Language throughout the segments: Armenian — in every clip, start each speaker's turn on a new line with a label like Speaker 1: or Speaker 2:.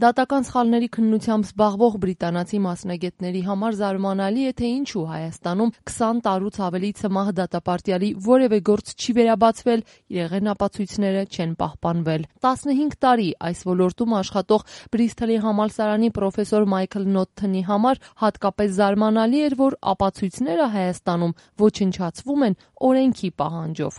Speaker 1: Դատական սխալների քննությամբ զբաղվող բրիտանացի մասնագետների համար զարմանալի է, թե ինչու Հայաստանում 20 տարուց ավելի ցմահ դատապարտյալի որևէ գործ չի վերաբացվել, իրեղեն ապացույցները չեն պահպանվել։ 15 տարի այս ոլորտում աշխատող Բրիստոլի համալսարանի պրոֆեսոր Մայքլ Նոթթոնի համար հատկապես զարմանալի էր, որ ապացույցները Հայաստանում ոչնչացվում են օրենքի պահանջով։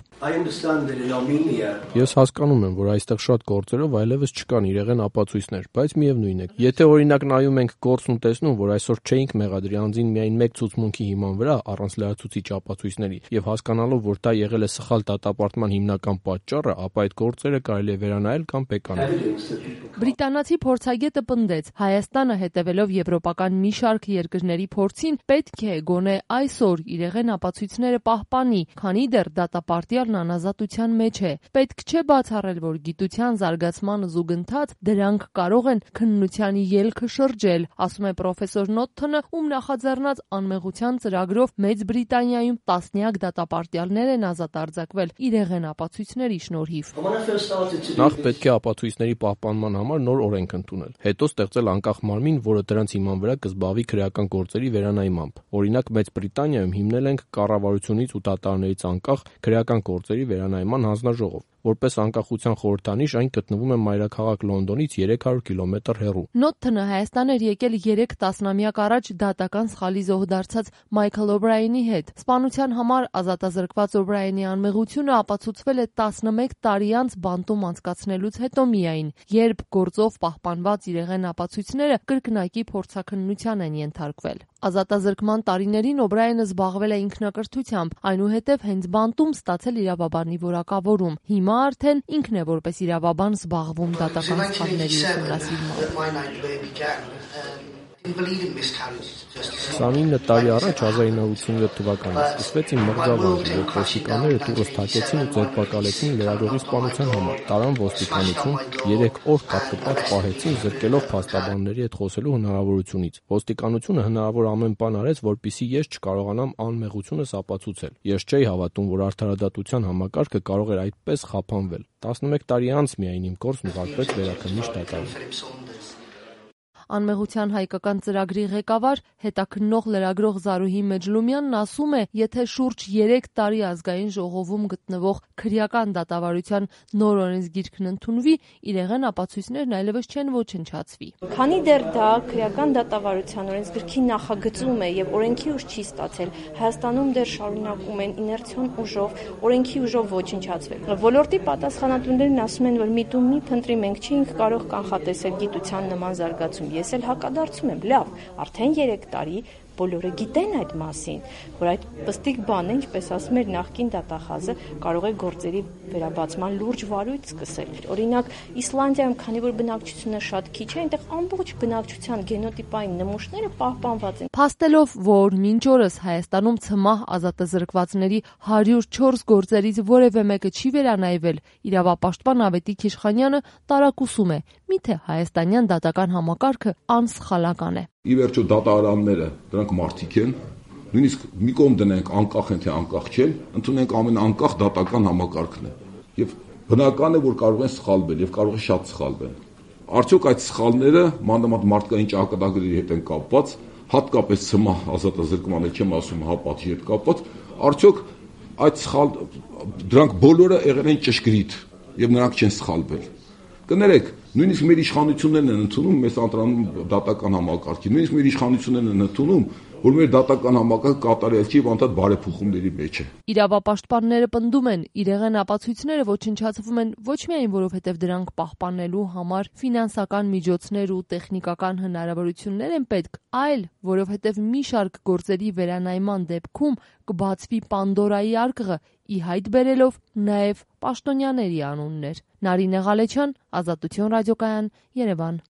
Speaker 2: Ես հասկանում եմ, որ այստեղ շատ գործերով այլևս չկան իրեղեն ապացույցներ, բայց միևնույն է, եթե օրինակ նայում ենք գործն ու տեսնում, որ այսօր չէինք մեղադրի անձին միայն մեկ ցուցմունքի հիման վրա առանց լրացուցիչ ապացույցների եւ հասկանալով, որ դա եղել է սխալ դատապարտման հիմնական պատճառը, ապա այդ գործերը կարելի է վերանայել կամ բեկանալ։
Speaker 1: Բրիտանացի փորձագետը պնդեց, Հայաստանը հետևելով եվրոպական մի շարք երկրների փորձին պետք է գոնե այսօր իրեղեն ապացույցները պահպանի, քանի դեռ դատապարտյալն անազատության մեջ է։ Պետք չէ բացառել, որ գիտության զարգացման զուգընթաց դրանք կարող են քննության ելքը շրջել, ասում է պրոֆեսոր Նոթթոնը, ում նախաձեռնած անմեղության ծրագրով Մեծ Բրիտանիայում տասնյակ դատապարտյալներ են ազատ արձակվել իրեղեն ապացույցների շնորհիվ։
Speaker 2: Նախ պետք է ապացույցների պահպանման համար նոր օրենք ընդունել, հետո ստեղծել անկախ մարմին, որը դրանց հիման վրա կզբաղվի քրեական գործերի վերանայմամբ։ Օրինակ Մեծ Բրիտանիայում հիմնել ենք կառավարությունից ու դատարաններից անկախ քրեական գործերի վերանայման հանձնաժողով։ Որպես անկախության խորհրդանիշ այն գտնվում է մայրաքաղաք Լոնդոնից 300 կիլոմետր հեռու։
Speaker 1: Նոթթոնը Հայաստան էր եկել 3 տասնամյակ առաջ դատական սխալի զոհ դարձած Մայքլ Օբրայենի հետ։ Սպանության համար ազատազրկված Օբրայենի անմեղությունը ապացուցվել է 11 տարի անց բանտում անցկացնելուց հետո միայն, երբ գործով պահպանված իրեղեն ապացույցները կրկնակի փորձաքննության են ենթարկվել։ Ազատազրկման տարիներին Օբրայենը զբաղվել է ինքնակրթությամբ, այնուհետև հենց բանտում ստացել իրավաբանի որակավորում։ Հիմա արդեն ինքն է որպես իրավաբան զբաղվում դատական սխալների ուսումնասիրմամբ։
Speaker 2: 29 տարի առաջ 1987 թվականին սկսվեց իմ մղձավանջը, երբ ոստիկանները դուրս թակեցին ու ձերբակալեցին լրագրողի սպանության համար, տարան ոստիկանություն, 3 օր կապկպած պահեցին, զրկելով փաստաբանների հետ խոսելու հնարավորությունից։ Ոստիկանությունը հնարավոր ամեն բան արեց, որպեսզի ես չկարողանամ անմեղությունս ապացուցել։ Ես չէի հավատում, որ արդարադատության համակարգը կարող էր այդպես խափանվել։ 11 տարի անց միայն իմ գործն ուղարկվեց վերաքննիչ դատարան։
Speaker 1: Անմեղության հայկական ծրագրի ղեկավար, հետաքննող լրագրող Զարուհի Մեջլումյանն ասում է, եթե շուրջ 3 տարի ազգային ժողովում գտնվող քրեական դատավարության նոր օրենսգիրքն ընդունվի, իրեղեն ապացույցներն այլևս չեն ոչնչացվի։
Speaker 3: Քանի դեռ դա քրեական դատավարության օրենսգրքի նախագծում է եւ օրենքի ուժ չի ստացել, Հայաստանում դեռ շարունակում են իներցիոն ուժով, օրենքի ուժով ոչնչացվել։ Ոլորտի պատասխանատուներն ասում են, որ միտում մի փնտրի մենք չէինք կարող կանխատեսել գիտության նման զարգացում։ Ես էլ հակադարձում եմ, լավ, արդեն 3 տարի բոլորը գիտեն այդ մասին, որ այդ պստիկ բանը, ինչպես ասում էր նախկին դատախազը, կարող է գործերի վերաբացման լուրջ վարույթ սկսել։ Օրինակ, Իսլանդիայում, քանի որ բնակչությունը շատ քիչ է, այնտեղ ամբողջ բնակչության գենոտիպային նմուշները պահպանված են։
Speaker 1: Փաստելով, որ մինչ օրս Հայաստանում ցմահ ազատազրկվածների 104 գործերից որևէ մեկը չի վերանայվել, իրավապաշտպան Ավետիք Իշխանյանը տարակուսում է, միթե հայաստանյան դատական համակարգը անսխալական է։
Speaker 4: Ի վերջո դատարանները դրանք մարդիկ են, նույնիսկ մի կողմ դնենք անկախ են թե անկախ չեն, ընդունենք ամենանկախ դատական համակարգն է։ Եվ բնական է, որ կարող են սխալվել եւ կարող է շատ սխալվել։ Արդյոք այդ սխալները մանավանդ մարդկային ճակատագրերի հետ են կապված, հատկապես ցմահ ազատազրկման հետ չեմ ասում, պատժի հետ կապված, արդյոք այդ դրանք բոլորը եղել են ճշգրիտ եւ նրանք չեն սխալվել։ Կներեք, նույնիսկ մեր իշխանություններն են ընդունում մեզ անդրանում դատական համակարգի, նույնիսկ մեր իշխանություններն են ընդունում, որ մեր դատական համակարգը կատարյալ չի, անդադ բարեփոխումների մեջ է։
Speaker 1: Իրավապաշտպանները պնդում են, իրեղեն ապացույցները ոչնչացվում են ոչ միայն որովհետև դրանք պահպանելու համար ֆինանսական միջոցներ ու տեխնիկական հնարավորություններ են պետք, այլ որովհետև մի շարք գործերի վերանայման դեպքում կբացվի Պանդորայի արկղը, ի հայտ բերելով նաև պաշտոնյաների անուններ։ Նարինե Ղալեչյան, Ազատություն ռադիոկայան, Երևան։